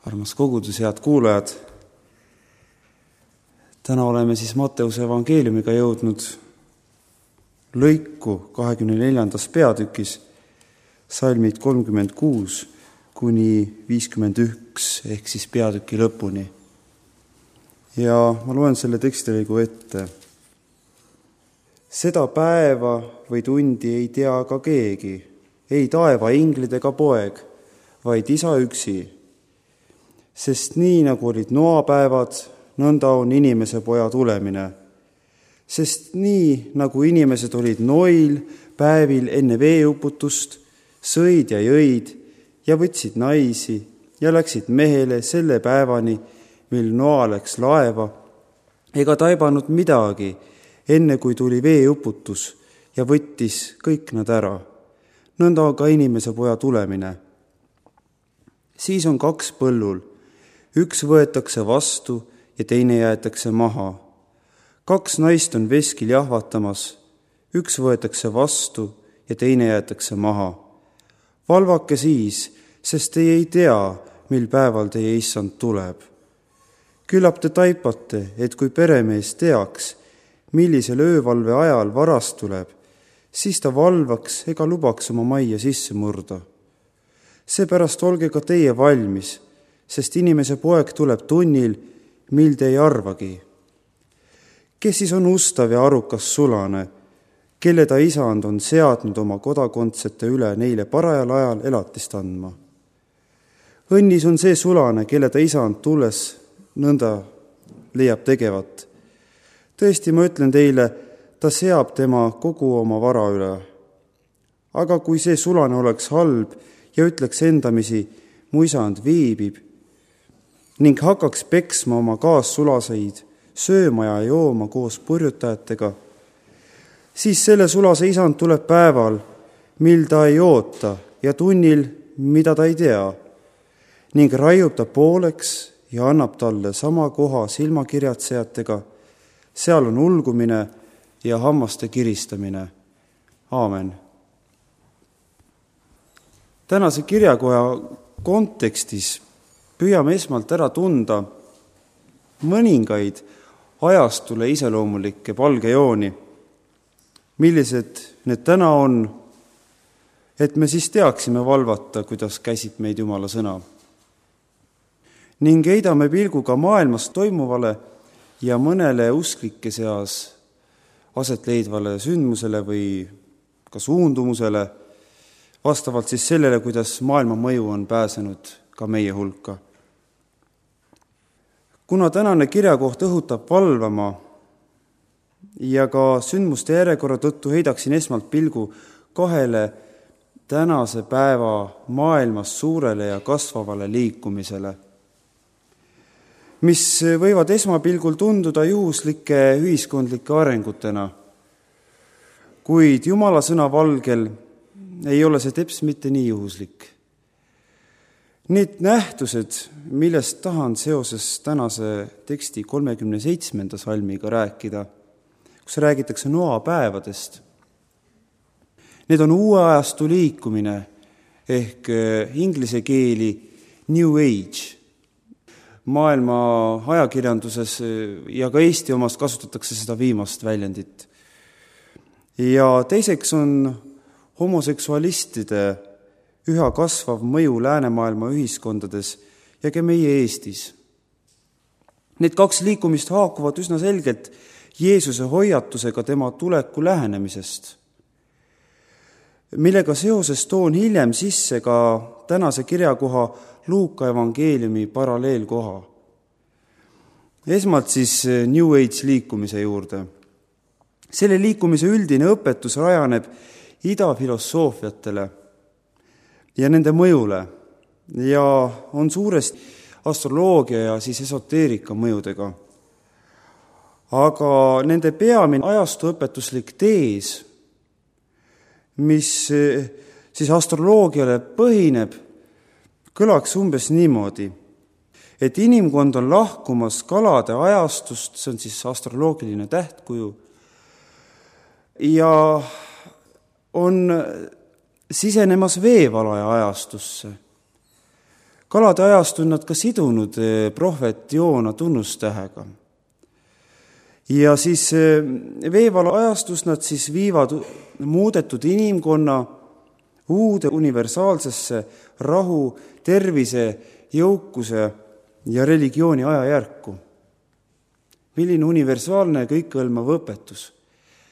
Armas kogudus, head kuulajad! Täna oleme siis Matteuse evangeeliumiga jõudnud lõiku 24. peatükis, salmid 36 kuni 51 ehk siis peatüki lõpuni. Ja ma loen selle tekstilõigu ette. Seda päeva või tundi ei tea ka keegi, ei taeva inglid ega poeg, vaid Isa üksi. Sest nii nagu olid Noa päevad, nõnda on inimese poja tulemine. Sest nii nagu inimesed olid Noil päevil enne veeuputust, sõid ja jõid ja võtsid naisi ja läksid mehele selle päevani, mil Noa läks laeva, ega taibanud midagi, enne kui tuli veeuputus ja võttis kõik nad ära. Nõnda on ka inimese poja tulemine. Siis on kaks põllul. Üks võetakse vastu ja teine jäetakse maha. Kaks naist on veskil jahvatamas. Üks võetakse vastu ja teine jäetakse maha. Valvake siis, sest teie ei tea, mil päeval teie issand tuleb. Küllap te taipate, et kui peremees teaks, millisel öövalve ajal varast tuleb, siis ta valvaks ega lubaks oma majja sisse murda. Seepärast olge ka teie valmis, sest inimese poeg tuleb tunnil, mil te ei arvagi. Kes siis on ustav ja arukas sulane, kelle ta isand on seadnud oma kodakondsete üle neile parajal ajal elatist andma? Õnnis on see sulane, kelle ta isand tulles nõnda leiab tegevat. Tõesti, ma ütlen teile, ta seab tema kogu oma vara üle. Aga kui see sulane oleks halb ja ütleks endamisi, mu isand viibib, ning hakkaks peksma oma kaassulaseid, sööma ja jooma koos purjutajatega, siis selle sulase isand tuleb päeval, mil ta ei oota ja tunnil, mida ta ei tea, ning raiub ta pooleks ja annab talle sama koha silmakirjatsejatega. Seal on ulgumine ja hammaste kiristamine. Aamen. Tänase kirjakoja kontekstis püüame esmalt ära tunda mõningaid ajastule iseloomulikke palgejooni, millised need täna on, et me siis teaksime valvata, kuidas käsib meid Jumala sõna. Ning heidame pilguga maailmas toimuvale ja mõnele usklike seas aset leidvale sündmusele või ka suundumusele, vastavalt siis sellele, kuidas maailma mõju on pääsenud ka meie hulka. Kuna tänane kirjakoht õhutab valvama ja ka sündmuste järjekorra tõttu heidaksin esmalt pilgu kahele tänase päeva maailmas suurele ja kasvavale liikumisele, mis võivad esmapilgul tunduda juhuslike ühiskondlike arengutena, kuid Jumala sõna valgel ei ole see teps mitte nii juhuslik. Need nähtused, millest tahan seoses tänase teksti 37. salmiga rääkida, kus räägitakse Noa päevadest, need on uue ajastu liikumine ehk inglise keeli New Age. Maailma ajakirjanduses ja ka Eesti omas kasutatakse seda viimast väljendit. Ja teiseks on homoseksualistide üha kasvav mõju läänemaailma ühiskondades ja ka meie Eestis. Need kaks liikumist haakuvad üsna selgelt Jeesuse hoiatusega tema tuleku lähenemisest, millega seoses toon hiljem sisse ka tänase kirjakoha Luuka evangeeliumi paralleelkoha. Esmalt siis New Age liikumise juurde. Selle liikumise üldine õpetus rajaneb idafilosoofiatele ja nende mõjule ja on suuresti astroloogia ja siis esoteerika mõjudega. Aga nende peamine ajastuõpetuslik tees, mis siis astroloogiale põhineb, kõlaks umbes niimoodi, et inimkond on lahkumas kalade ajastust, see on siis astroloogiline tähtkuju, ja on sisenemas veevalaja ajastusse, Kalade ajast on nad ka sidunud prohvet Joona tunnustähega. Ja siis veevala ajastus nad siis viivad muudetud inimkonna uude universaalsesse rahu, tervise, jõukuse ja religiooni ajajärku. Milline universaalne kõikehõlmav õpetus.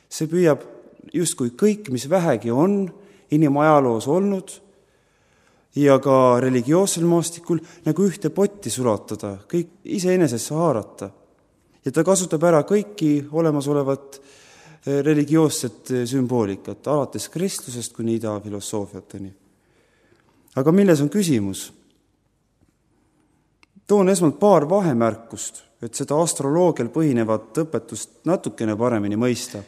See püüab justkui kõik, mis vähegi on inimajaloos olnud ja ka religioossel maastikul nagu ühte potti sulatada, kõik iseenesesse haarata. Ja ta kasutab ära kõiki olemasolevat religioosset sümboolikat, alates kristlusest kuni idafilosoofiateni. Aga milles on küsimus? Toon esmalt paar vahemärkust, et seda astroloogial põhinevat õpetust natukene paremini mõista.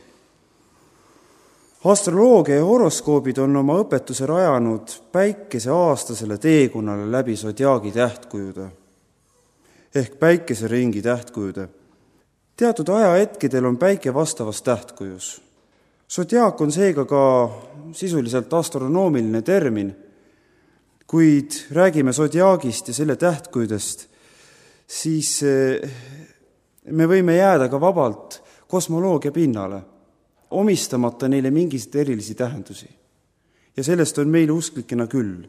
Astroloogia ja horoskoobid on oma õpetuse rajanud päikese aastasele teekonnale läbi sodiaagi tähtkujude ehk päikeseringi tähtkujude. Teatud ajahetkedel on päike vastavas tähtkujus. Sodiaak on seega ka sisuliselt astronoomiline termin, kuid räägime sodiaagist ja selle tähtkujudest, siis me võime jääda ka vabalt kosmoloogia pinnale, omistamata neile mingeid erilisi tähendusi. Ja sellest on meil usklikena küll.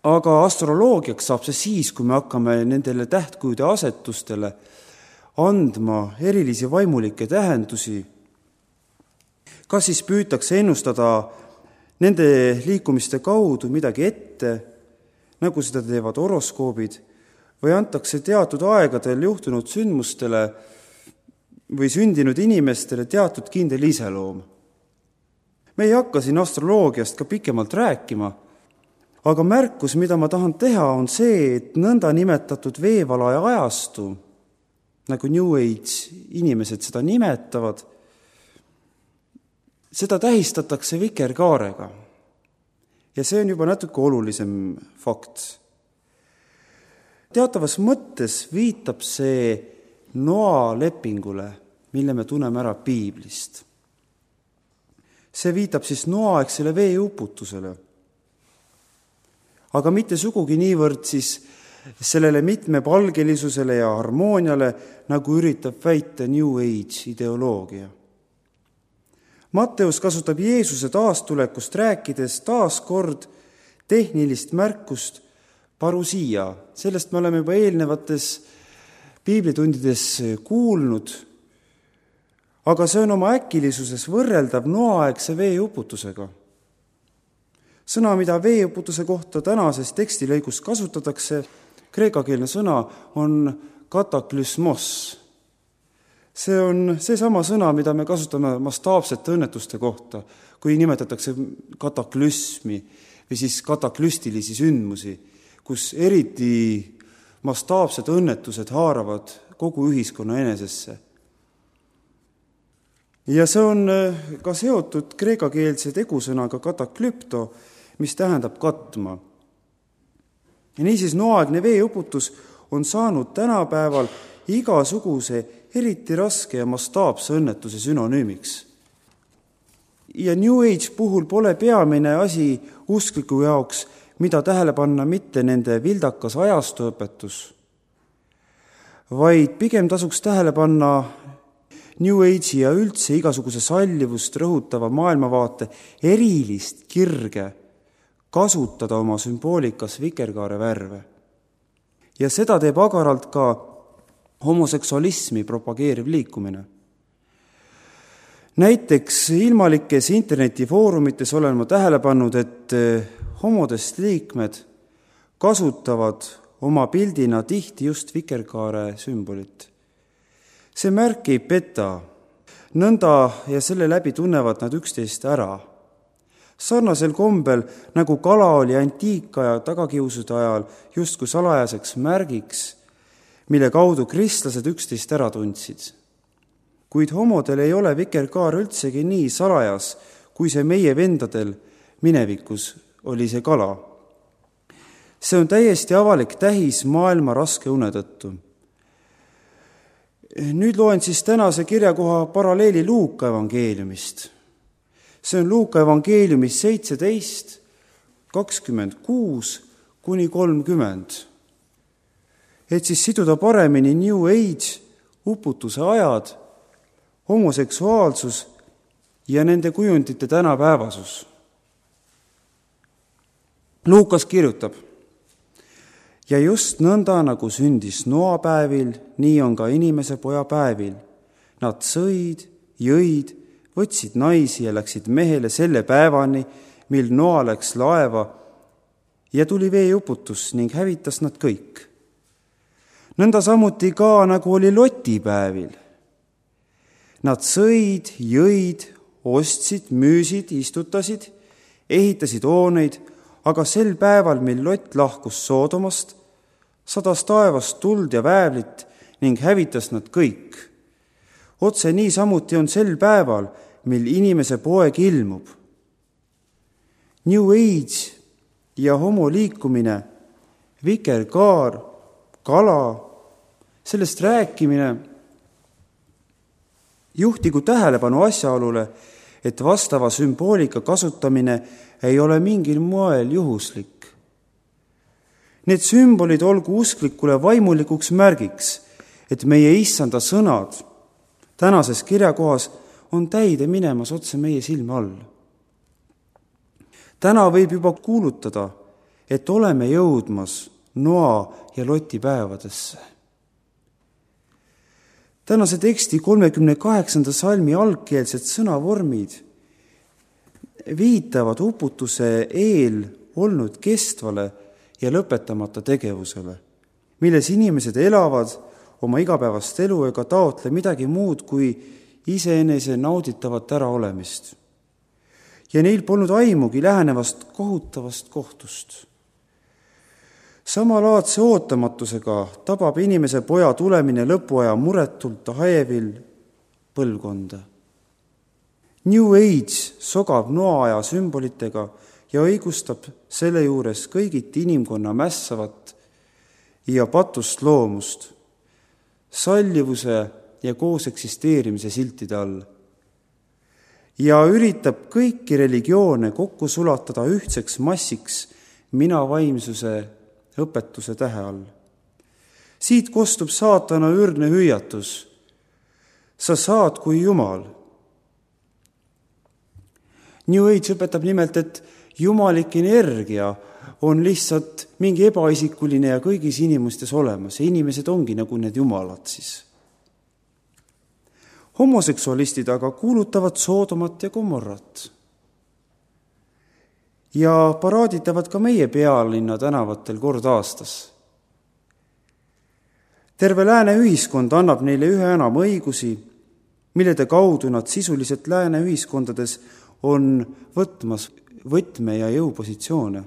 Aga astroloogiaks saab see siis, kui me hakkame nendele tähtkujude asetustele andma erilisi vaimulikke tähendusi. Kas siis püütakse ennustada nende liikumiste kaudu midagi ette, nagu seda teevad horoskoobid, või antakse teatud aegadel juhtunud sündmustele või sündinud inimestele teatud kindel iseloom. Me ei hakka siin astroloogiast ka pikemalt rääkima, aga märkus, mida ma tahan teha, on see, et nõnda nimetatud veevalaja ajastu, nagu New Age inimesed seda nimetavad, seda tähistatakse vikerkaarega. Ja see on juba natuke olulisem fakt. Teatavas mõttes viitab see Noa lepingule, mille me tunneme ära piiblist. See viitab siis noaaegsele veeuputusele. Aga mitte sugugi niivõrd siis sellele mitmepalgelisusele ja harmooniale, nagu üritab väita New Age ideoloogia. Matteus kasutab Jeesuse taastulekust rääkides taas kord tehnilist märkust parusia. Sellest me oleme juba eelnevates piiblitundides kuulnud, aga see on oma äkilisuses võrreldav noaaegse veeuputusega. Sõna, mida veeuputuse kohta tänases tekstilõigus kasutatakse, kreekakeelne sõna, on kataklüsmos. See on seesama sõna, mida me kasutame mastaapsete õnnetuste kohta, kui nimetatakse kataklüsmi või siis kataklüstilisi sündmusi, kus eriti mastaapsed õnnetused haaravad kogu ühiskonna enesesse. Ja see on ka seotud kreekakeelse tegusõnaga kataklüpto, mis tähendab katma. Ja niisiis noaaegne veeuputus on saanud tänapäeval igasuguse eriti raske ja mastaapse õnnetuse sünonüümiks. Ja New Age puhul pole peamine asi uskliku jaoks, mida tähele panna mitte nende vildakas ajastuõpetus, vaid pigem tasuks tähele panna New Age'i ja üldse igasuguse sallivust rõhutava maailmavaate erilist kirge kasutada oma sümboolikas vikerkaare värve. Ja seda teeb agaralt ka homoseksualismi propageeriv liikumine. Näiteks ilmalikes internetifoorumites olen ma tähele pannud, et homodest liikmed kasutavad oma pildina tihti just vikerkaare sümbolit. See märk ei peta, nõnda ja selle läbi tunnevad nad üksteist ära. Sarnasel kombel, nagu kala oli antiikaja tagakiusude ajal justkui salajaseks märgiks, mille kaudu kristlased üksteist ära tundsid. Kuid homodel ei ole vikerkaar üldsegi nii salajas, kui see meie vendadel minevikus oli see kala. See on täiesti avalik tähis maailma raske une tõttu. Nüüd loen siis tänase kirjakoha paralleeli Luuka evangeeliumist. See on Luuka evangeeliumis 17, 26 kuni 30, et siis siduda paremini New Age, uputuse ajad, homoseksuaalsus ja nende kujundite tänapäevasus. Luukas kirjutab: ja just nõnda, nagu sündis Noa päevil, nii on ka inimese poja päevil. Nad sõid, jõid, võtsid naisi ja läksid mehele selle päevani, mil Noa läks laeva ja tuli veeuputus ning hävitas nad kõik. Nõnda samuti ka, nagu oli Loti päevil. Nad sõid, jõid, ostsid, müüsid, istutasid, ehitasid hooneid, aga sel päeval, mil Lott lahkus Soodomast, sadas taevast tuld ja väävlit ning hävitas nad kõik. Otse nii samuti on sel päeval, mil inimese poeg ilmub. New Age ja homoliikumine, vikerkaar, kala, sellest rääkimine juhtigu tähelepanu asjaolule, et vastava sümboolika kasutamine ei ole mingil moel juhuslik. Need sümbolid olgu usklikule vaimulikuks märgiks, et meie issanda sõnad tänases kirjakohas on täide minemas otse meie silme all. Täna võib juba kuulutada, et oleme jõudmas Noa ja Loti päevadesse. Tänase teksti 38. salmi algkeelsed sõnavormid viitavad uputuse eel olnud kestvale ja lõpetamata tegevusele, milles inimesed elavad oma igapäevast elu ega taotle midagi muud kui iseenese nauditavat äraolemist. Ja neil polnud aimugi lähenevast kohutavast kohtust. Samalaadse ootamatusega tabab inimese poja tulemine lõpuaja muretult hajevil põlvkonda. New Age sogab noaaja sümbolitega ja õigustab selle juures kõigiti inimkonna mässavat ja patust loomust, sallivuse ja koos eksisteerimise siltide all. Ja üritab kõiki religioone kokku sulatada ühtseks massiks minavaimsuse õpetuse tähe all. Siit kostub saatana ürgne hüüatus: sa saad kui Jumal. New Age õpetab nimelt, et jumalik energia on lihtsalt mingi ebaisikuline ja kõigis inimestes olemas ja inimesed ongi nagu need jumalad siis. Homoseksualistid aga kuulutavad Soodomat ja Gomorrat ja paraaditavad ka meie pealinna tänavatel kord aastas. Terve lääne ühiskond annab neile üha enam õigusi, millede kaudu nad sisuliselt lääne ühiskondades on võtmas võtme- ja jõupositsioone.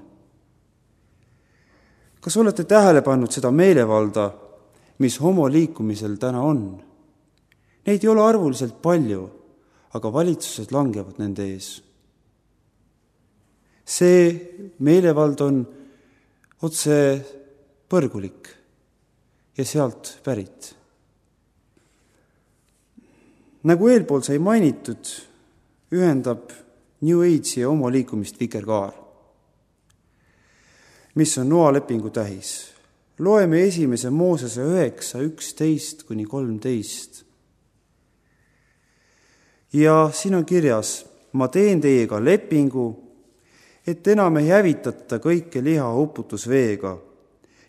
Kas olete tähele pannud seda meelevalda, mis homoliikumisel täna on? Neid ei ole arvuliselt palju, aga valitsused langevad nende ees. See meelevald on otse põrgulik ja sealt pärit. Nagu eelpool sai mainitud, ühendab New Age'i ja homoliikumist vikerkaar, mis on Noa lepingu tähis. Loeme 1. Moosese 9:11-13. Ja siin on kirjas: ma teen teiega lepingu, et enam ei hävitata kõike liha uputusveega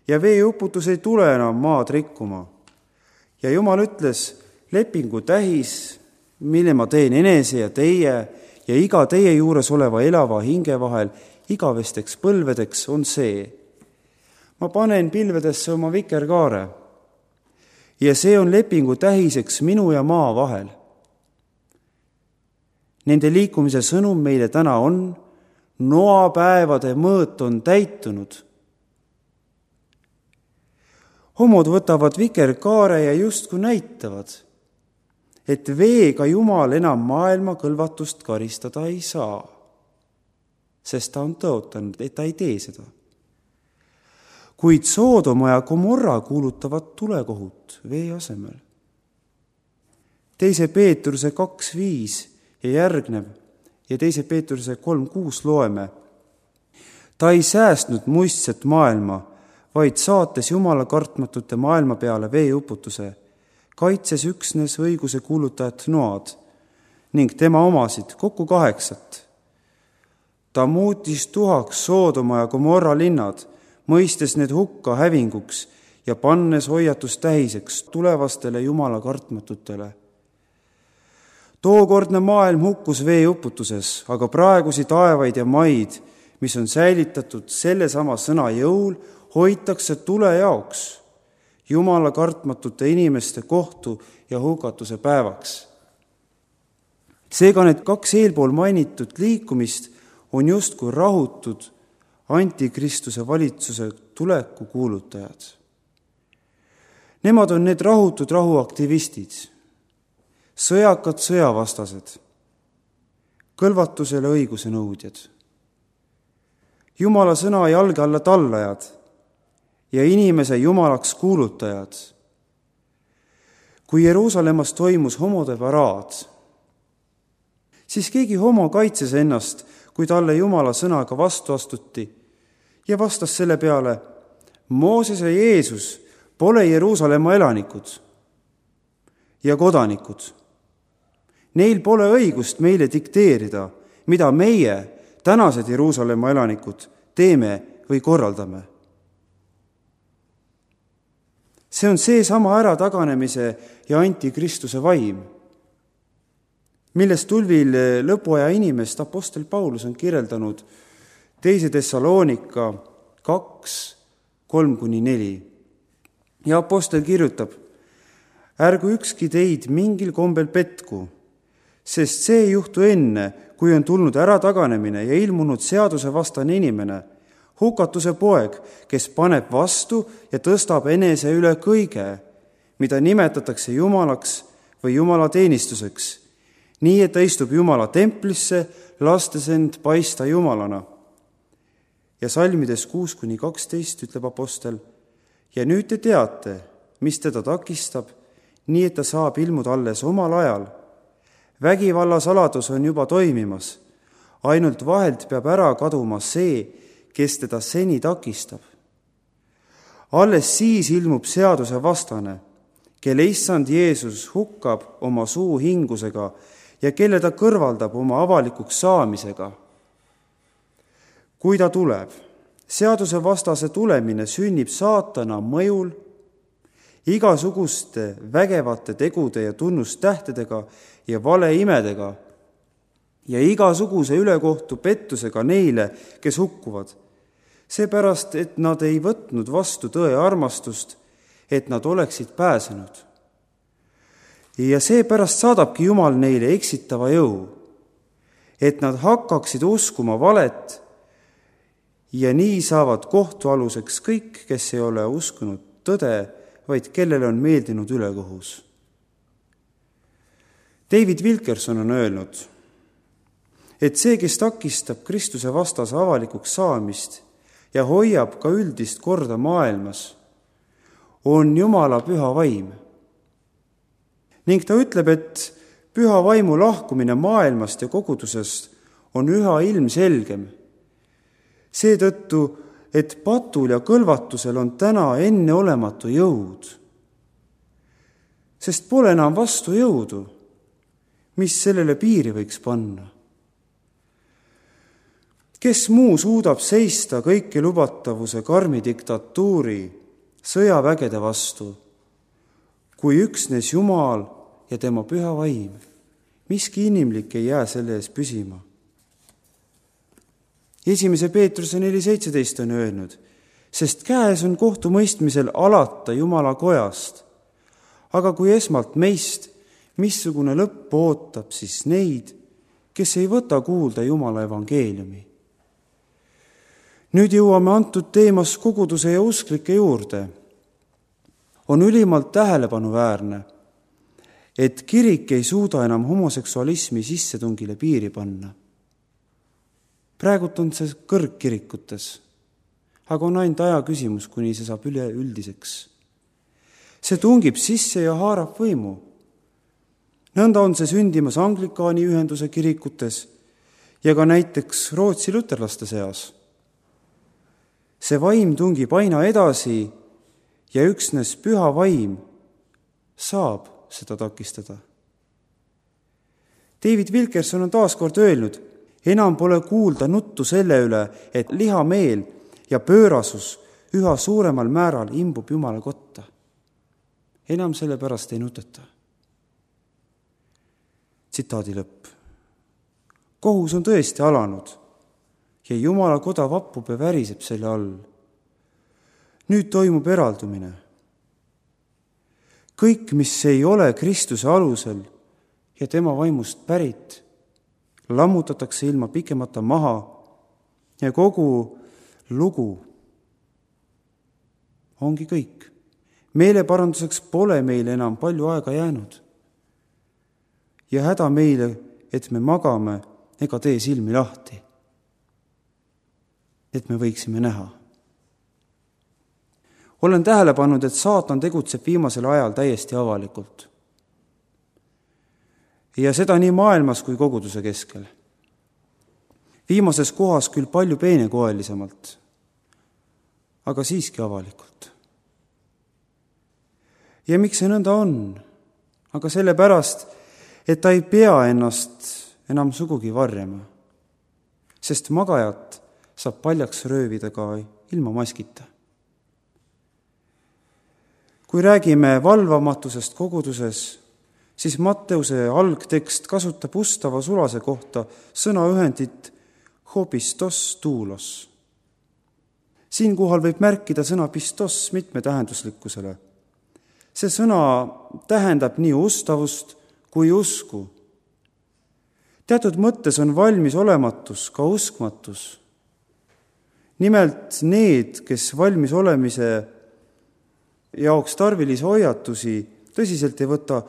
ja veeuputus ei tule enam maad rikkuma. Ja Jumal ütles: lepingu tähis, mille ma teen enese ja teie ja iga teie juures oleva elava hinge vahel igavesteks põlvedeks, on see: ma panen pilvedesse oma vikerkaare ja see on lepingu tähiseks minu ja maa vahel. Nende liikumise sõnum meile täna on: Noa päevade mõõt on täitunud. Homod võtavad vikerkaare ja justkui näitavad, et veega Jumal enam maailma kõlvatust karistada ei saa, sest ta on tõotanud, et ta ei tee seda. Kuid Soodoma ja Gomorra kuulutavad tulekohut vee asemel. 2. Peetruse 2:5 ja järgnev ja 2. Peetruse 3:6 loeme: Ta ei säästnud muistset maailma, vaid saates Jumala kartmatute maailma peale veeuputuse, kaitses üksnes õiguse kuulutajat Noad ning tema omasid kokku 8. Ta muutis tuhaks Soodoma ja Gomorra linnad, mõistes need hukka hävinguks ja pannes hoiatustähiseks tulevastele Jumala kartmatutele. Tookordne maailm hukkus veeuputuses, aga praegusi taevaid ja maid, mis on säilitatud sellesama sõna jõul, hoitakse tule jaoks, Jumala kartmatute inimeste kohtu ja hukatuse päevaks. Seega need 2 eelpool mainitud liikumist on justkui rahutud antikristuse valitsuse tuleku kuulutajad. Nemad on need rahutud rahuaktivistid, sõjakad sõjavastased, kõlvatusele õiguse nõudjad, Jumala sõna jalge alla tallajad ja inimese jumalaks kuulutajad. Kui Jeruusalemmas toimus homode paraad, siis keegi homo kaitses ennast, kui talle Jumala sõnaga vastu astuti ja vastas selle peale: Mooses ja Jeesus pole Jeruusalemma elanikud ja kodanikud. Neil pole õigust meile dikteerida, mida meie, tänased Jeruusalemma elanikud, teeme või korraldame. See on seesama ärataganemise ja antikristuse vaim, millest tulvil lõpuaja inimest apostel Paulus on kirjeldanud 2. Thessalonika 2:3-4. Ja apostel kirjutab: ärgu ükski teid mingil kombel petku, sest see ei juhtu enne, kui on tulnud ärataganemine ja ilmunud seadusevastane inimene, hukatuse poeg, kes paneb vastu ja tõstab enese üle kõige, mida nimetatakse jumalaks või jumala teenistuseks, nii et ta istub Jumala templisse, lastes end paista jumalana. Ja salmides 6-12 ütleb apostel: ja nüüd te teate, mis teda takistab, nii et ta saab ilmuda alles omal ajal. Vägivalla saladus on juba toimimas, ainult vahelt peab ära kaduma see, kes teda seni takistab. Alles siis ilmub seaduse vastane, kelle issand Jeesus hukkab oma suu hingusega ja kelle ta kõrvaldab oma avalikuks saamisega. Kui ta tuleb, seaduse vastase tulemine sünnib saatana mõjul, igasuguste vägevate tegude ja tunnustähtedega ja valeimedega ja igasuguse ülekohtu pettusega neile, kes hukkuvad, seepärast, et nad ei võtnud vastu tõe armastust, et nad oleksid pääsenud. Ja seepärast saadabki Jumal neile eksitava jõu, et nad hakkaksid uskuma valet ja nii saavad kohtualuseks kõik, kes ei ole uskunud tõde, vaid kellele on meeldinud ülekohus. David Wilkerson on öelnud, et see, kes takistab Kristuse vastase avalikuks saamist ja hoiab ka üldist korda maailmas, on Jumala püha vaim. Ning ta ütleb, et püha vaimu lahkumine maailmast ja kogudusest on üha ilmselgem. Seetõttu, et patul ja kõlvatusel on täna enneolematu jõud, sest pole enam vastu jõudu, mis sellele piiri võiks panna. Kes muu suudab seista kõiki lubatavuse karmi diktatuuri sõjavägede vastu, kui üksnes Jumal ja tema püha vaim? Miski inimlik ei jää selle ees püsima. 1. Peetruse 4:17 on öelnud, sest käes on kohtumõistmisel alata Jumala kojast, aga kui esmalt meist, missugune lõpp ootab siis neid, kes ei võta kuulda Jumala evangeeliumi. Nüüd jõuame antud teemas koguduse ja usklike juurde. On ülimalt tähelepanuväärne, et kirik ei suuda enam homoseksualismi sissetungile piiri panna. Praegult on see kõrgkirikutes, aga on ainult aja küsimus, kuni see saab üleüldiseks. See tungib sisse ja haarab võimu. Nõnda on see sündimas Anglikaani ühenduse kirikutes ja ka näiteks Rootsi luterlaste seas. See vaim tungib aina edasi ja üksnes püha vaim saab seda takistada. David Wilkerson on taas kord öelnud, enam pole kuulda nuttu selle üle, et lihameel ja pöörasus üha suuremal määral imbub Jumala kotta. Enam selle pärast ei nuteta. Tsitaadi lõpp. Kohus on tõesti alanud ja Jumala koda vappub ja väriseb selle all. Nüüd toimub eraldumine. Kõik, mis ei ole Kristuse alusel ja tema vaimust pärit, lammutatakse ilma pikemata maha ja kogu lugu ongi kõik. Meeleparanduseks pole meile enam palju aega jäänud. Ja häda meile, et me magame ega tee silmi lahti, et me võiksime näha. Olen tähele pannud, et saatan tegutseb viimasel ajal täiesti avalikult. Ja seda nii maailmas kui koguduse keskel. Viimases kohas küll palju peenekoelisemalt, aga siiski avalikult. Ja miks see nõnda on? Aga sellepärast, et ta ei pea ennast enam sugugi varjama, sest magajat saab paljaks röövida ka ilma maskita. Kui räägime valvamatusest koguduses, siis Matteuse algtekst kasutab ustava sulase kohta sõnaühendit hopistos tuulos. Siinkohal võib märkida sõna pistos mitmetähenduslikkusele. See sõna tähendab nii ustavust kui usku. Teatud mõttes on valmis olematus ka uskmatus. Nimelt need, kes valmis olemise jaoks tarvilisi hoiatusi tõsiselt ei võta,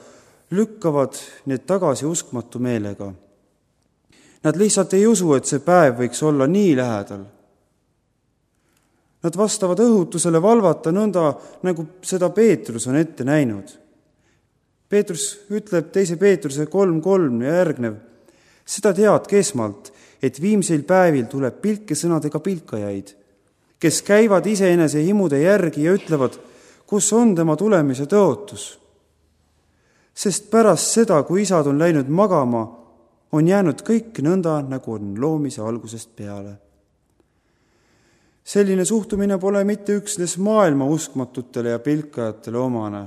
lükkavad need tagasi uskmatu meelega. Nad lihtsalt ei usu, et see päev võiks olla nii lähedal. Nad vastavad õhutusele valvata nõnda, nagu seda Peetrus on ette näinud. Peetrus ütleb 2. Peetruse 3.3 ja järgnev, seda teadke esmalt, et viimseil päevil tuleb pilkesõnadega pilkajaid, kes käivad iseenese himude järgi ja ütlevad, kus on tema tulemise tõotus. Sest pärast seda, kui isad on läinud magama, on jäänud kõik nõnda, nagu on loomise algusest peale. Selline suhtumine pole mitte üksnes maailma uskmatutele ja pilkajatele omane,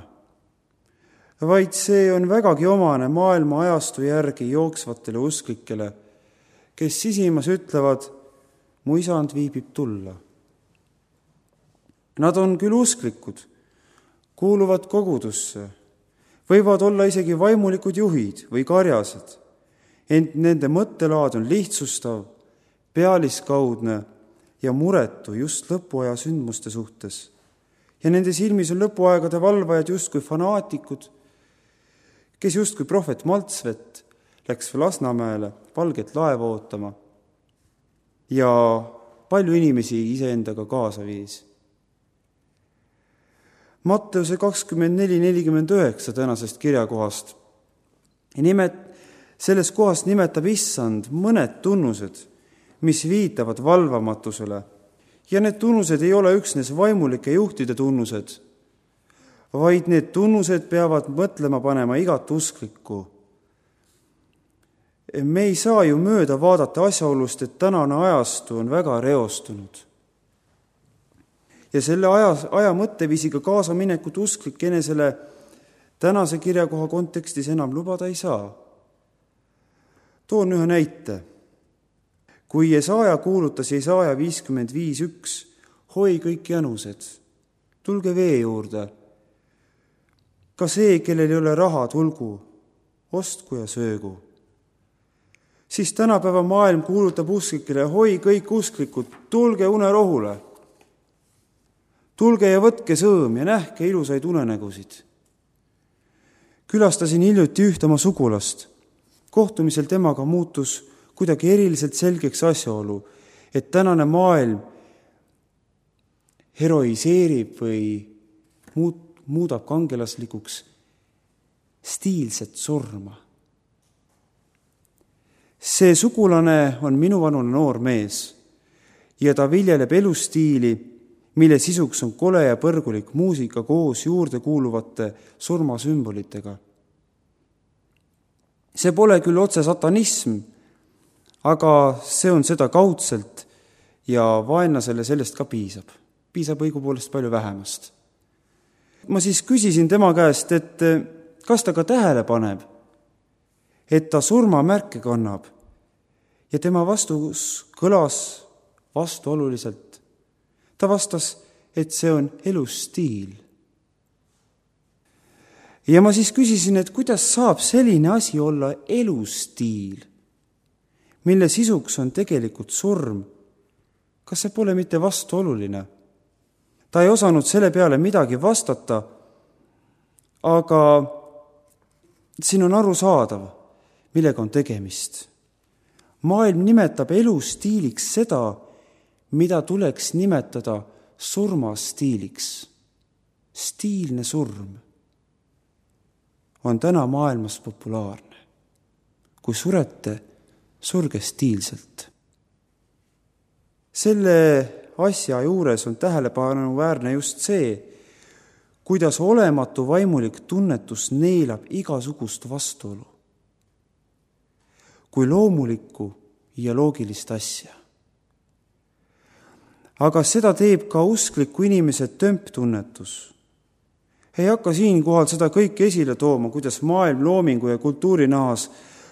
vaid see on vägagi omane maailma ajastu järgi jooksvatele usklikele, kes sisimas ütlevad, mu isand viibib tulla. Nad on küll usklikud, kuuluvad kogudusse, võivad olla isegi vaimulikud juhid või karjased, ent nende mõttelaad on lihtsustav, pealiskaudne ja muretu just lõpuaja sündmuste suhtes. Ja nende silmis on lõpuaegade valvajad justkui fanaatikud, kes justkui prohvet Maltsvet läks Lasnamäele valget laeva ootama ja palju inimesi iseendaga kaasa viis. Matteuse 24.49 tänasest kirjakohast. Selles kohas nimetab issand mõned tunnused, mis viitavad valvamatusele. Ja need tunnused ei ole üksnes vaimulike juhtide tunnused, vaid need tunnused peavad mõtlema panema igat usklikku. Me ei saa ju mööda vaadata asjaolust, et tänane ajastu on väga reostunud. Ja selle aja mõtteviisiga kaasa minekut usklik enesele tänase kirjakoha kontekstis enam lubada ei saa. Toon ühe näite. Kui Jesaja kuulutas Jesaja 55.1, hoi kõik janused, tulge vee juurde. Ka see, kellel ei ole raha, tulgu, ostku ja söögu. Siis tänapäeva maailm kuulutab usklikele, hoi kõik usklikud, tulge unerohule. Tulge ja võtke sõõm ja nähke ilusaid unenägusid. Külastasin hiljuti ühte oma sugulast. Kohtumisel temaga muutus kuidagi eriliselt selgeks asjaolu, et tänane maailm heroiseerib või muudab kangelaslikuks stiilset surma. See sugulane on minuvanune noor mees ja ta viljeleb elustiili, mille sisuks on kole ja põrgulik muusika koos juurde kuuluvate surmasümbolitega. See pole küll otse satanism, aga see on seda kaudselt ja vaenlasele sellest ka piisab. Piisab õigupoolest palju vähemast. Ma siis küsisin tema käest, et kas ta ka tähele paneb, et ta surmamärke kannab, ja tema vastus kõlas vastuoluliselt. Ta vastas, et see on elustiil. Ja ma siis küsisin, et kuidas saab selline asi olla elustiil, mille sisuks on tegelikult surm. Kas see pole mitte vastuoluline? Ta ei osanud selle peale midagi vastata, aga siin on arusaadav, millega on tegemist. Maailm nimetab elustiiliks seda, mida tuleks nimetada surmastiiliks. Stiilne surm on täna maailmas populaarne. Kui surete, surge stiilselt. Selle asja juures on tähelepanuväärne just see, kuidas olematu vaimulik tunnetus neelab igasugust vastuolu kui loomulikku ja loogilist asja. Aga seda teeb ka uskliku inimese tömptunnetus. Ei hakka siinkohal seda kõike esile tooma, kuidas maailm loomingu ja kultuuri nahas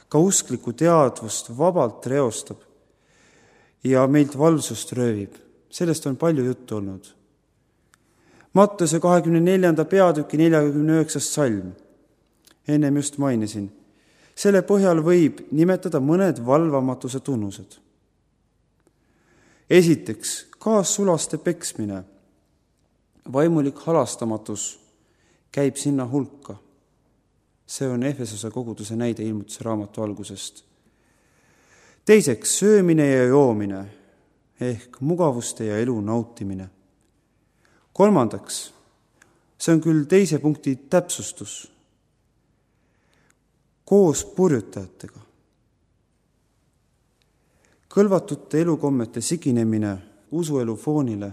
ka usklikku teadvust vabalt reostab ja meilt valvsust röövib. Sellest on palju juttu olnud. Mattuse 24. peatüki 49. salm. Ennem just mainisin. Selle põhjal võib nimetada mõned valvamatuse tunnused. Esiteks, kaassulaste peksmine. Vaimulik halastamatus käib sinna hulka. See on Efesose koguduse näide Ilmutuse raamatu algusest. Teiseks, söömine ja joomine ehk mugavuste ja elu nautimine. Kolmandaks, see on küll teise punkti täpsustus. Koos purjutajatega. Kõlvatute elukommete siginemine usuelu foonile,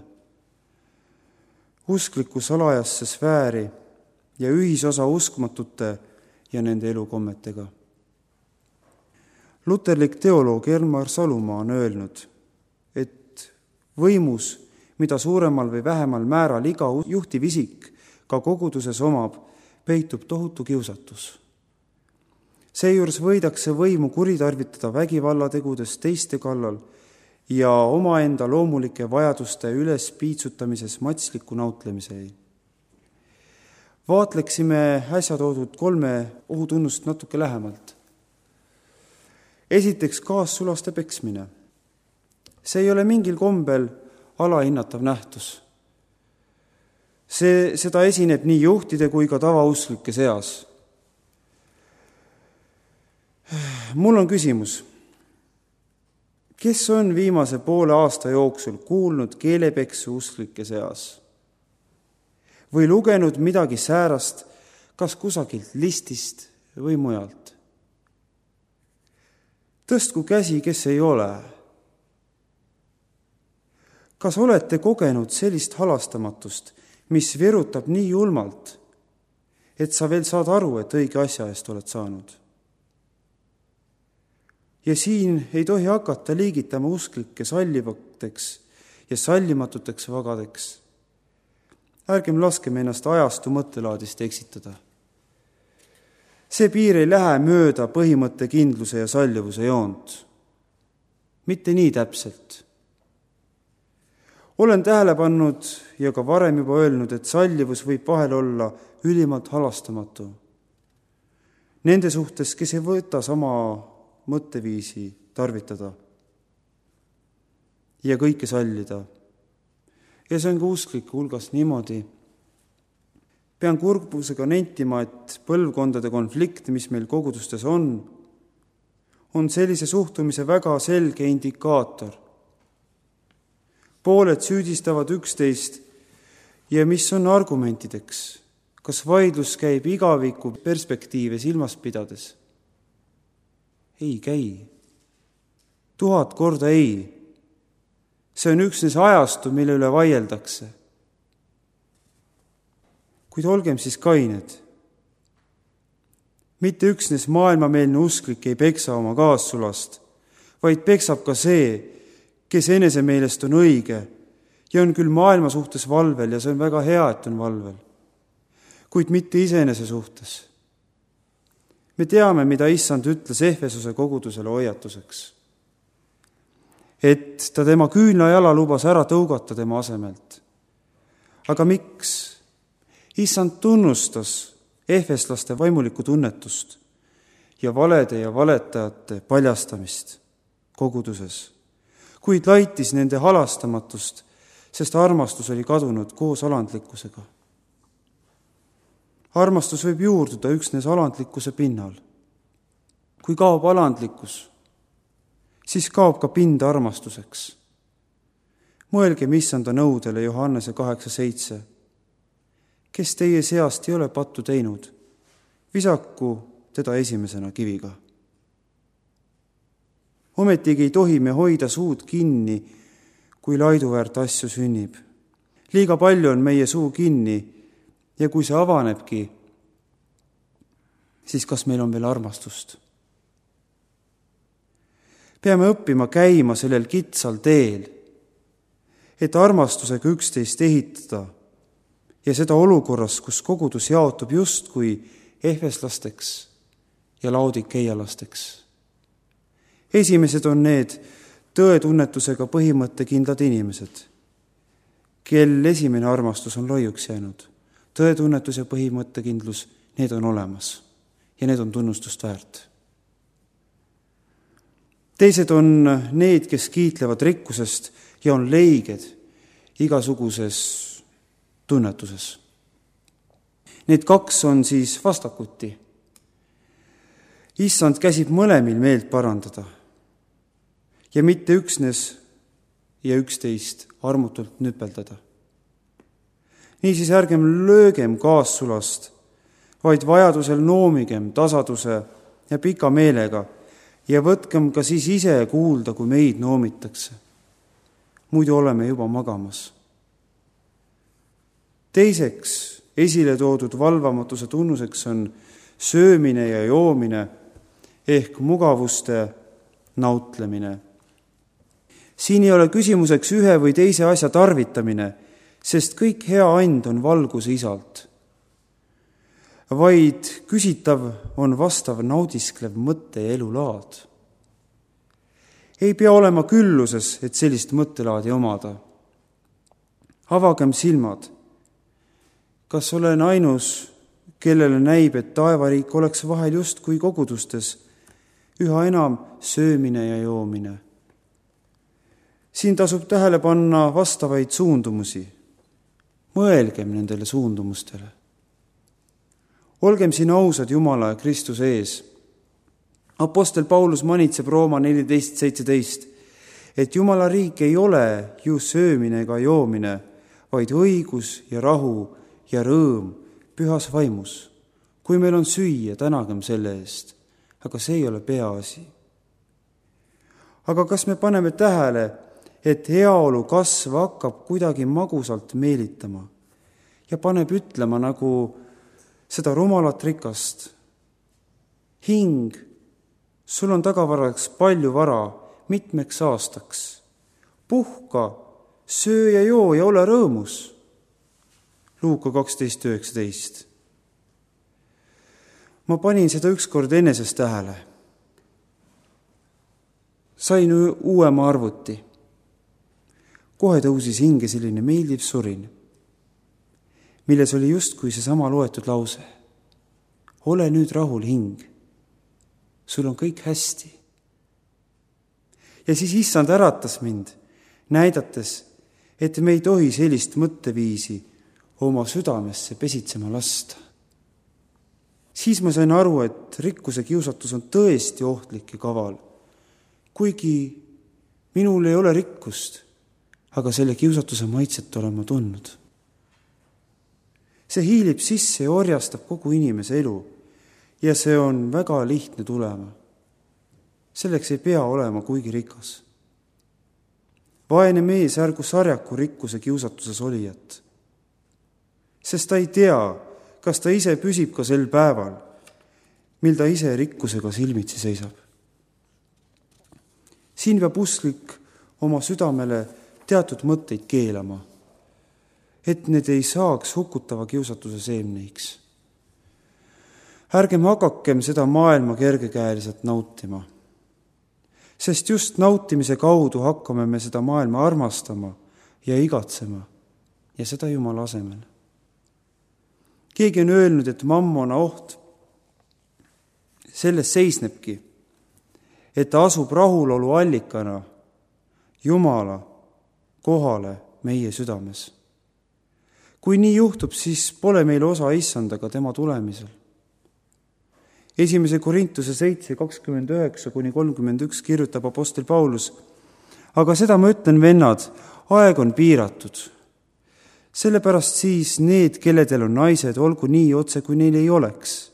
uskliku salajasse sfääri ja ühisosa uskmatute ja nende elukommetega. Luterlik teoloog Elmar Salumaa on öelnud, et võimus, mida suuremal või vähemal määral iga juhtiv isik ka koguduses omab, peitub tohutu kiusatus. Seejuures võidakse võimu kuritarvitada vägivallategudes teiste kallal ja omaenda loomulike vajaduste üles piitsutamises matsliku nautlemisei. Vaatleksime äsja toodud 3 ohutunnust natuke lähemalt. Esiteks, kaassulaste peksmine. See ei ole mingil kombel alahinnatav nähtus. Seda esineb nii juhtide kui ka tavauslike seas. Mul on küsimus, kes on viimase poole aasta jooksul kuulnud keelepeksu usklike seas või lugenud midagi säärast, kas kusagilt listist või mujalt? Tõstku käsi, kes ei ole. Kas olete kogenud sellist halastamatust, mis virutab nii julmalt, et sa veel saad aru, et õige asja eest oled saanud? Ja siin ei tohi hakata liigitama usklikke sallivateks ja sallimatuteks vagadeks. Ärgem laskem ennast ajastu mõttelaadist eksitada. See piir ei lähe mööda põhimõtte kindluse ja sallivuse joont. Mitte nii täpselt. Olen tähele pannud ja ka varem juba öelnud, et sallivus võib vahel olla ülimalt halastamatu. Nende suhtes, kes ei võta sama mõtteviisi tarvitada ja kõike sallida. Ja see on ka usklike hulgas niimoodi. Pean kurbusega nentima, et põlvkondade konflikt, mis meil kogudustes on sellise suhtumise väga selge indikaator. Pooled süüdistavad üksteist ja mis on argumentideks, kas vaidlus käib igaviku perspektiive silmas pidades? Ei käi. 1000 korda ei. See on üksnes ajastu, mille üle vaieldakse. Kuid olgem siis kained. Mitte üksnes maailmameelne usklik ei peksa oma kaassulast, vaid peksab ka see, kes enese meelest on õige ja on küll maailma suhtes valvel ja see on väga hea, et on valvel, kuid mitte iseenese suhtes. Me teame, mida Issand ütles Efesuse kogudusele hoiatuseks, et ta tema küünlajala lubas ära tõugata tema asemelt. Aga miks? Issand tunnustas efeslaste vaimulikku tunnetust ja valede ja valetajate paljastamist koguduses, kuid laitis nende halastamatust, sest armastus oli kadunud koos alandlikkusega. Armastus võib juurduda üksnes alandlikkuse pinnal. Kui kaob alandlikkus, siis kaob ka pind armastuseks. Mõelgem Issanda nõudele Johannese 8:7. Kes teie seast ei ole pattu teinud, visaku teda esimesena kiviga. Ometigi ei tohi me hoida suud kinni, kui laiduväärt asju sünnib. Liiga palju on meie suu kinni ja kui see avanebki, siis kas meil on veel armastust? Peame õppima käima sellel kitsal teel, et armastusega üksteist ehitada ja seda olukorras, kus kogudus jaotub justkui efeslasteks ja laodikeialasteks. Esimesed on need tõetunnetusega põhimõttekindlad inimesed, kel esimene armastus on loiuks jäänud. Tõetunnetus ja põhimõttekindlus, need on olemas ja need on tunnustust väärt. Teised on need, kes kiitlevad rikkusest ja on leiged igasuguses tunnetuses. Need kaks on siis vastakuti. Issand käsib mõlemil meelt parandada ja mitte üksnes ja üksteist armutult nüpeldada. Niisiis ärgem löögem kaassulast, vaid vajadusel noomigem tasaduse ja pika meelega ja võtkem ka siis ise kuulda, kui meid noomitakse. Muidu oleme juba magamas. Teiseks esile toodud valvamatuse tunnuseks on söömine ja joomine ehk mugavuste nautlemine. Siin ei ole küsimuseks ühe või teise asja tarvitamine, sest kõik hea and on valguse isalt, vaid küsitav on vastav naudisklev mõtte ja elulaad. Ei pea olema külluses, et sellist mõttelaadi omada. Avagem silmad. Kas olen ainus, kellele näib, et taevariik oleks vahel just kui kogudustes üha enam söömine ja joomine? Siin tasub tähele panna vastavaid suundumusi. Mõelgem nendele suundumustele. Olgem siin ausad Jumala ja Kristuse ees. Apostel Paulus manitseb Rooma 14:17, et Jumala riik ei ole ju söömine ega joomine, vaid õigus ja rahu ja rõõm pühas vaimus. Kui meil on süüa, tänagem selle eest, aga see ei ole peaasi. Aga kas me paneme tähele, et heaolu kasv hakkab kuidagi magusalt meelitama ja paneb ütlema nagu seda rumalat rikast? Hing, sul on tagavaraks palju vara mitmeks aastaks. Puhka, söö ja joo ja ole rõõmus. Luuka 12:19. Ma panin seda ükskord eneses tähele. Sain uuema arvuti. Kohe tõusis hinge selline meeldiv surin, milles oli justkui seesama loetud lause. Ole nüüd rahul, hing. Sul on kõik hästi. Ja siis Issand äratas mind, näidates, et me ei tohi sellist mõtteviisi oma südamesse pesitsema lasta. Siis ma sain aru, et rikkuse kiusatus on tõesti ohtlik ja kaval. Kuigi minul ei ole rikkust, aga selle kiusatuse maitset olen ma tundnud. See hiilib sisse ja orjastab kogu inimese elu ja see on väga lihtne tulema. Selleks ei pea olema kuigi rikas. vaene mees ärgu sarjaku rikkuse kiusatuses olijat, sest ta ei tea, kas ta ise püsib ka sel päeval, mil ta ise rikkusega silmitsi seisab. Siin peab usklik oma südamele teatud mõtteid keelama, et need ei saaks hukutava kiusatuse seemneiks. Ärgem hakakem seda maailma kergekäeliselt nautima, sest just nautimise kaudu hakkame me seda maailma armastama ja igatsema ja seda Jumala asemel. Keegi on öelnud, et mammona oht selles seisnebki, et ta asub rahulolu allikana Jumala kohale meie südames. Kui nii juhtub, siis pole meil osa issandaga tema tulemisel. 1. Korintuse 7:29-31 kirjutab apostel Paulus: aga seda ma ütlen, vennad, aeg on piiratud. Sellepärast siis need, kelledel on naised, olgu nii otse, kui neil ei oleks.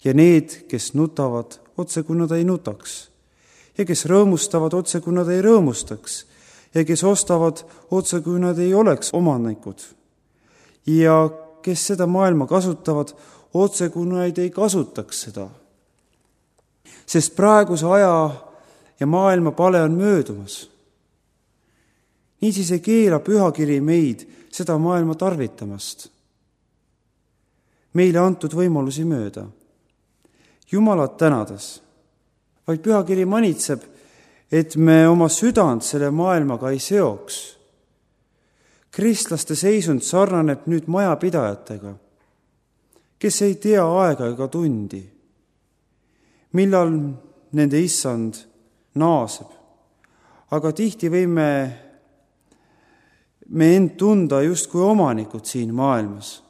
Ja need, kes nutavad, otse, kui nad ei nutaks. Ja kes rõõmustavad, otse, kui nad ei rõõmustaks. Ja kes ostavad, otse, kui nad ei oleks omanikud. Ja kes seda maailma kasutavad, otse, kui nad ei kasutaks seda. Sest praeguse aja ja maailma pale on möödumas. Niisiis ei keela pühakiri meid seda maailma tarvitamast. Meile antud võimalusi mööda. Jumalat tänades, vaid pühakiri manitseb, et me oma südant selle maailmaga ei seoks. Kristlaste seisund sarnaneb nüüd majapidajatega, kes ei tea aega ega tundi, millal nende issand naaseb. Aga tihti võime me end tunda justkui omanikud siin maailmas.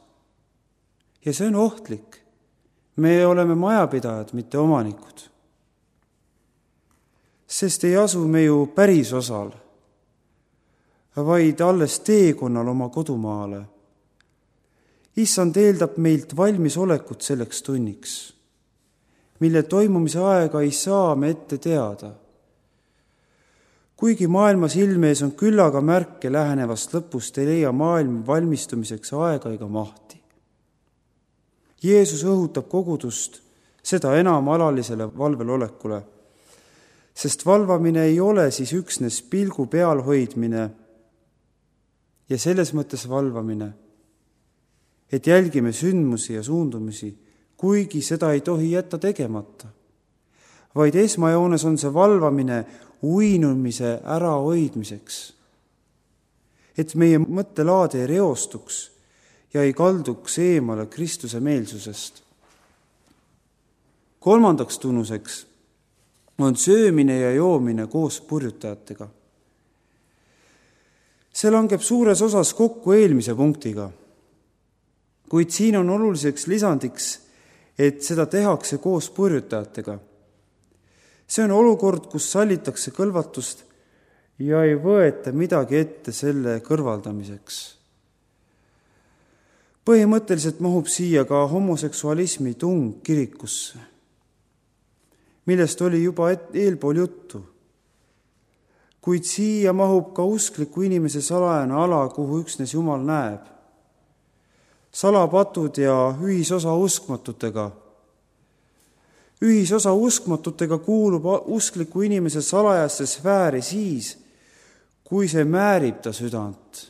Ja see on ohtlik. Me oleme majapidajad, mitte omanikud. Sest ei asu me ju päris osal, vaid alles teekonnal oma kodumaale. Issand eeldab meilt valmisolekut selleks tunniks, mille toimumise aega ei saa me ette teada. Kuigi maailma silme ees on küllaga märke lähenevast lõpust, ei leia maailm valmistumiseks aega ega mahti. Jeesus õhutab kogudust seda enam alalisele valvelolekule, sest valvamine ei ole siis üksnes pilgu peal hoidmine ja selles mõttes valvamine, et jälgime sündmusi ja suundumisi, kuigi seda ei tohi jätta tegemata, vaid esmajoones on see valvamine uinumise ärahoidmiseks, et meie mõttelaad ei reostuks ja ei kalduks eemale Kristuse meelsusest. 3. tunnuseks on söömine ja joomine koos purjutajatega. See langeb suures osas kokku eelmise punktiga, kuid siin on oluliseks lisandiks, et seda tehakse koos purjutajatega. See on olukord, kus sallitakse kõlvatust ja ei võeta midagi ette selle kõrvaldamiseks. Põhimõtteliselt mahub siia ka homoseksualismi tung kirikusse, millest oli juba eelpool juttu. Kuid siia mahub ka uskliku inimese salajane ala, kuhu üksnes Jumal näeb. Salapatud ja ühisosa uskmatutega. Ühisosa uskmatutega kuulub uskliku inimese salajasse sfääri siis, kui see määrib ta südant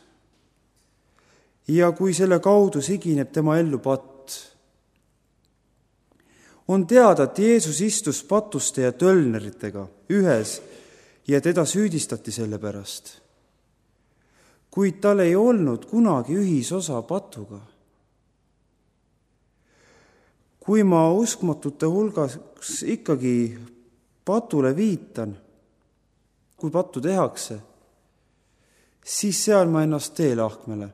ja kui selle kaudu sigineb tema ellu patt. On teada, et Jeesus istus patuste ja tölneritega ühes ja teda süüdistati selle pärast. Kuid tal ei olnud kunagi ühisosa patuga. Kui ma uskmatute hulgas ikkagi patule viitan, kui pattu tehakse, siis seal ma ennast teelahkmele.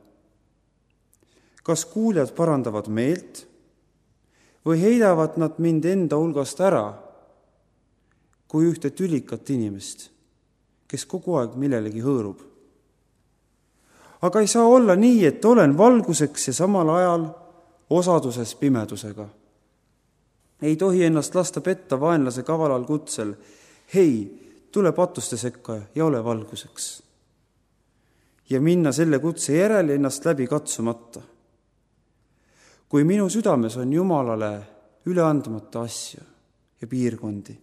Kas kuuljad parandavad meelt või heidavad nad mind enda hulgast ära kui ühte tülikat inimest, kes kogu aeg millelegi hõõrub? Aga ei saa olla nii, et olen valguseks ja samal ajal osaduses pimedusega. Ei tohi ennast lasta petta vaenlase kavalal kutsel. Hei, tule patuste sekka ja ole valguseks. ja minna selle kutse järele ennast läbi katsumata. Kui minu südames on Jumalale üle andmata asju ja piirkondi,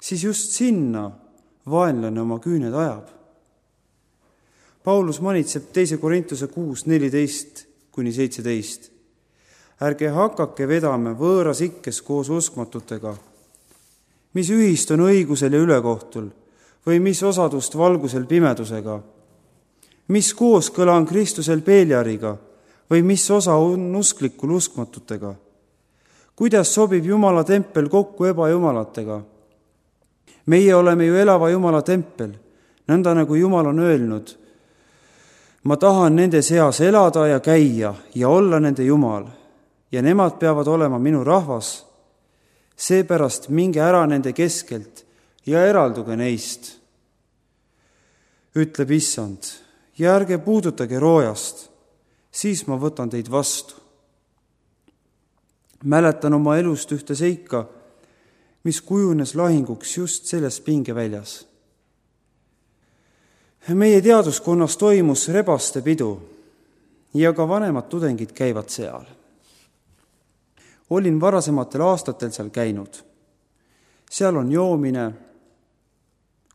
siis just sinna vaenlane oma küüned ajab. Paulus manitseb 2. Korintuse 6:14-17. Ärge hakake vedama võõras ikkes koos uskmatutega, mis ühist on õigusel ja ülekohtul või mis osadust valgusel pimedusega, mis kooskõla on Kristusel Peeliariga või mis osa on usklikul uskmatutega. Kuidas sobib Jumala tempel kokku ebajumalatega? Meie oleme ju elava Jumala tempel, nõnda nagu Jumal on öelnud, ma tahan nende seas elada ja käia ja olla nende Jumal ja nemad peavad olema minu rahvas. Seepärast minge ära nende keskelt ja eralduge neist, ütleb Issand, ja ärge puudutage roojast, siis ma võtan teid vastu. Mäletan oma elust ühte seika, mis kujunes lahinguks just selles pingeväljas. Meie teaduskonnas toimus rebaste pidu ja ka vanemad tudengid käivad seal. Olin varasematel aastatel seal käinud. Seal on joomine,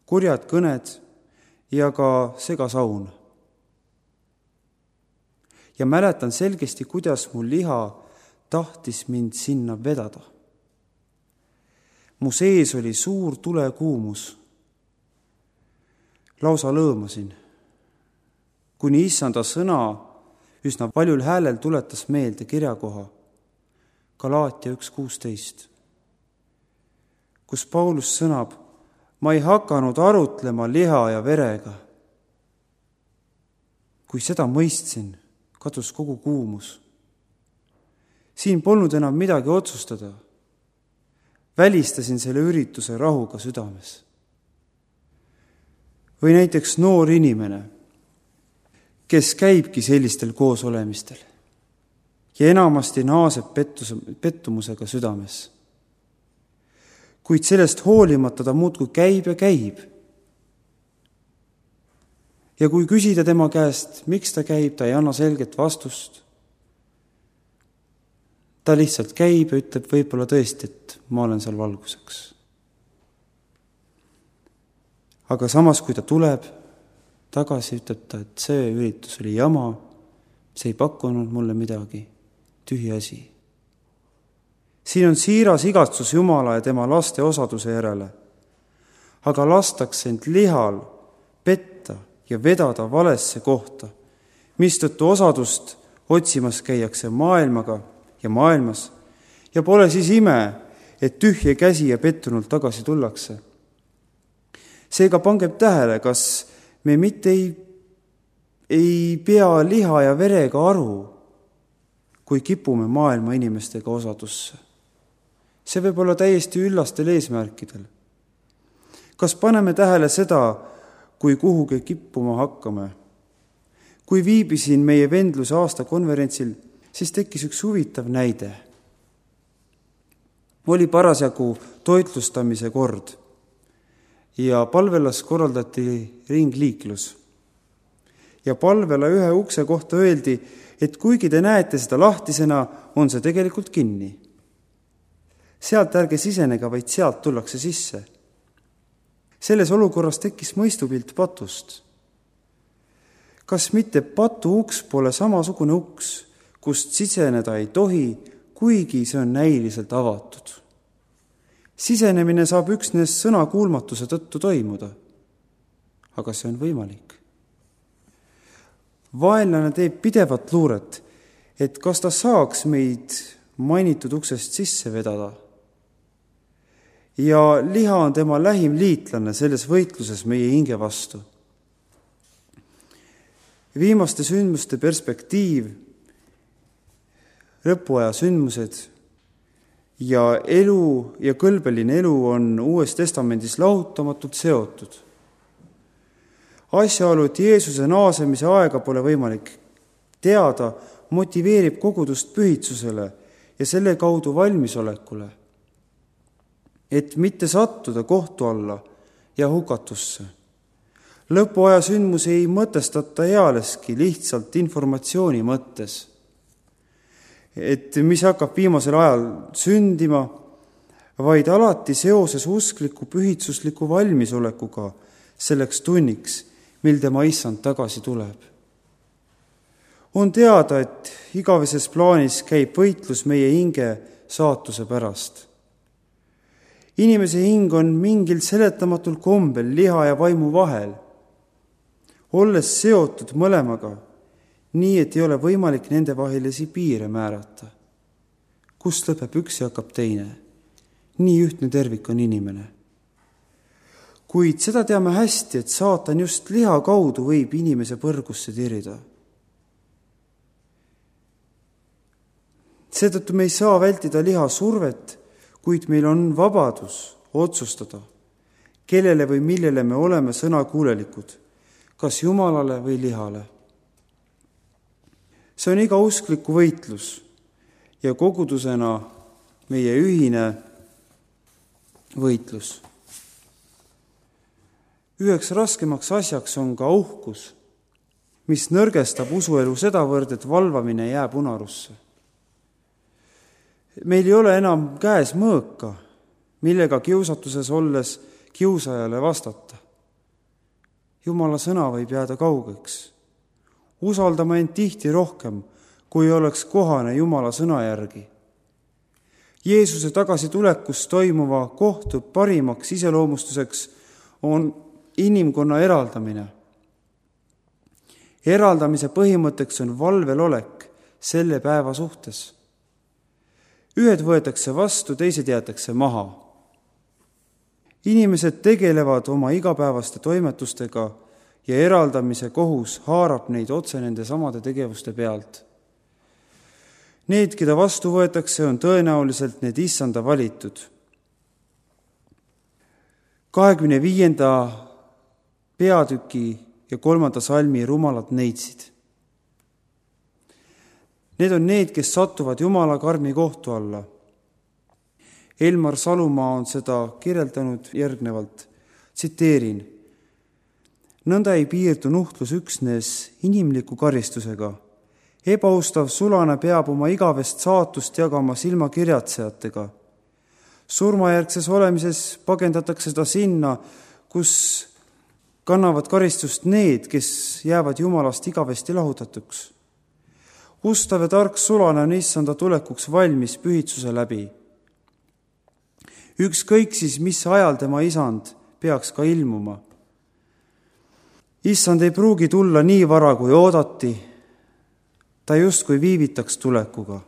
kurjad kõned ja ka segasaun. Ja mäletan selgesti, kuidas mu liha tahtis mind sinna vedada. Mu sees oli suur tulekuumus. Lausa lõõmasin, kuni Issanda sõna üsna paljul häälel tuletas meelde kirjakoha Galaatia 1:16, kus Paulus sõnab, ma ei hakanud arutlema liha ja verega. Kui seda mõistsin, kadus kogu kuumus. Siin polnud enam midagi otsustada. Välistasin selle ürituse rahuga südames. Või näiteks noor inimene, kes käibki sellistel koosolemistel ja enamasti naaseb pettumusega südames. Kuid sellest hoolimata ta muudkui käib ja käib. Ja kui küsida tema käest, miks ta käib, ta ei anna selget vastust. Ta lihtsalt käib ja ütleb võib-olla tõesti, et ma olen seal valguseks. Aga samas, kui ta tuleb tagasi, ütleb ta, et see üritus oli jama, see ei pakkunud mulle midagi, tühi asi. Siin on siiras igatsus Jumala ja tema laste osaduse järele, aga lastakse end lihal petta ja vedada valesse kohta, mistõttu osadust otsimas käiakse maailmaga ja maailmas ja pole siis ime, et tühje käsi ja pettunult tagasi tullakse. Seega pangem tähele, kas me mitte ei pea liha ja verega aru, kui kipume maailma inimestega osadusse. See võib olla täiesti üllastel eesmärkidel. Kas paneme tähele seda, kui kuhugi kippuma hakkame? Kui viibisin meie vendluse aastakonverentsil, siis tekkis üks huvitav näide. Oli parasjagu toitlustamise kord ja palvelas korraldati ringliiklus. Ja palvela ühe ukse kohta öeldi, et kuigi te näete seda lahtisena, on see tegelikult kinni. Sealt ärge sisenega, vaid sealt tullakse sisse. Selles olukorras tekkis mõistupilt patust. Kas mitte patu uks pole samasugune uks, kust siseneda ei tohi, kuigi see on näiliselt avatud? Sisenemine saab üksnes sõnakuulmatuse tõttu toimuda, aga see on võimalik. Vaenlane teeb pidevat luuret, et kas ta saaks meid mainitud uksest sisse vedada. Ja liha on tema lähim liitlane selles võitluses meie hinge vastu. Viimaste sündmuste perspektiiv, lõpuaja sündmused ja elu ja kõlbeline elu on Uues Testamendis lahutamatult seotud. Asjaolu, et Jeesuse naasemise aega pole võimalik teada, motiveerib kogudust pühitsusele ja selle kaudu valmisolekule, et mitte sattuda kohtu alla ja hukatusse. Lõpuaja sündmusi ei mõtestata ealeski lihtsalt informatsiooni mõttes, et mis hakkab viimasel ajal sündima, vaid alati seoses uskliku pühitsusliku valmisolekuga selleks tunniks, mil tema issand tagasi tuleb. On teada, et igaveses plaanis käib võitlus meie hinge saatuse pärast. Inimese hing on mingil seletamatul kombel liha ja vaimu vahel, olles seotud mõlemaga, nii et ei ole võimalik nende vahelisi piire määrata. Kust lõpeb üks ja hakkab teine? Nii ühtne tervik on inimene. Kuid seda teame hästi, et saatan just liha kaudu võib inimese põrgusse tirida. Seetõttu me ei saa vältida liha survet, kuid meil on vabadus otsustada, kellele või millele me oleme sõnakuulelikud, kas Jumalale või lihale. See on iga uskliku võitlus ja kogudusena meie ühine võitlus. Üheks raskemaks asjaks on ka uhkus, mis nõrgestab usuelu sedavõrd, et valvamine jääb unarusse. Meil ei ole enam käes mõõka, millega kiusatuses olles kiusajale vastata. Jumala sõna võib jääda kaugeks. Usaldama end tihti rohkem, kui oleks kohane Jumala sõna järgi. Jeesuse tagasitulekus toimuva kohtu parimaks iseloomustuseks on inimkonna eraldamine. Eraldamise põhimõtteks on valvel olek selle päeva suhtes. Ühed võetakse vastu, teised jäetakse maha. Inimesed tegelevad oma igapäevaste toimetustega ja eraldamise kohus haarab neid otse nende samade tegevuste pealt. Need, keda vastu võetakse, on tõenäoliselt need issanda valitud. 25. peatüki ja 3. salmi rumalad neitsid. Need on need, kes satuvad Jumala karmi kohtu alla. Elmar Salumaa on seda kirjeldanud järgnevalt. Tsiteerin. Nõnda ei piirdu nuhtlus üksnes inimliku karistusega. Ebaustav sulane peab oma igavest saatust jagama silmakirjatsejatega. Surmajärgses olemises pagendatakse ta sinna, kus kannavad karistust need, kes jäävad Jumalast igavesti lahutatuks. Ustav ja tark sulane on issanda tulekuks valmis pühitsuse läbi. Ükskõik siis, mis ajal tema isand peaks ka ilmuma. Issand ei pruugi tulla nii vara, kui oodati. Ta justkui viivitaks tulekuga,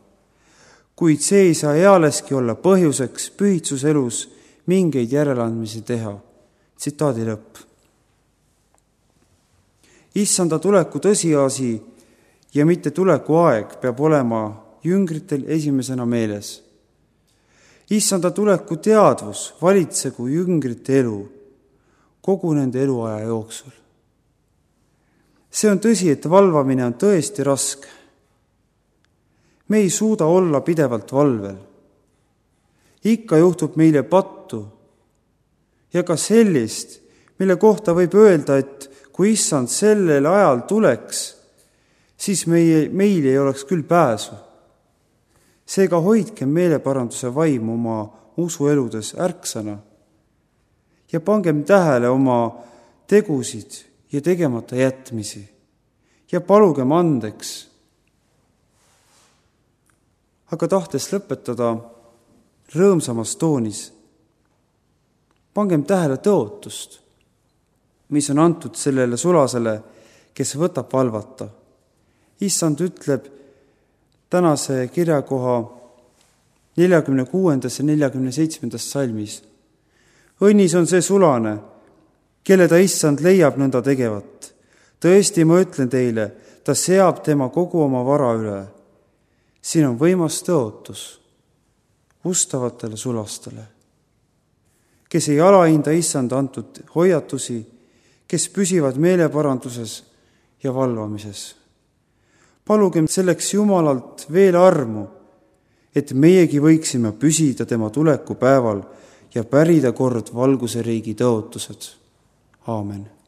kuid see ei saa ealeski olla põhjuseks pühitsuselus mingeid järeleandmisi teha. Tsitaadi lõpp. Issanda tuleku tõsiasi ja mitte tuleku aeg peab olema jüngritel esimesena meeles. Issanda tuleku teadvus valitsegu jüngrite elu kogu nende eluaja jooksul. See on tõsi, et valvamine on tõesti raske. Me ei suuda olla pidevalt valvel. Ikka juhtub meile pattu ja ka sellist, mille kohta võib öelda, et kui issand sellel ajal tuleks, siis meil ei oleks küll pääsu. Seega hoidkem meeleparanduse vaimu oma usueludes ärksana ja pangem tähele oma tegusid ja tegemata jätmisi ja palugem andeks. Aga tahtes lõpetada rõõmsamas toonis, pangem tähele tõotust, mis on antud sellele sulasele, kes võtab valvata. Issand ütleb tänase kirjakoha 46. ja 47. salmis. Õnnis on see sulane, kelle ta issand leiab nõnda tegevat. Tõesti, ma ütlen teile, ta seab tema kogu oma vara üle. Siin on võimas tõotus ustavatele sulastele, kes ei alahinda issand antud hoiatusi, kes püsivad meeleparanduses ja valvamises. Palugem selleks Jumalalt veel armu, et meiegi võiksime püsida tema tuleku päeval ja pärida kord valguse riigi tõotused. Aamen.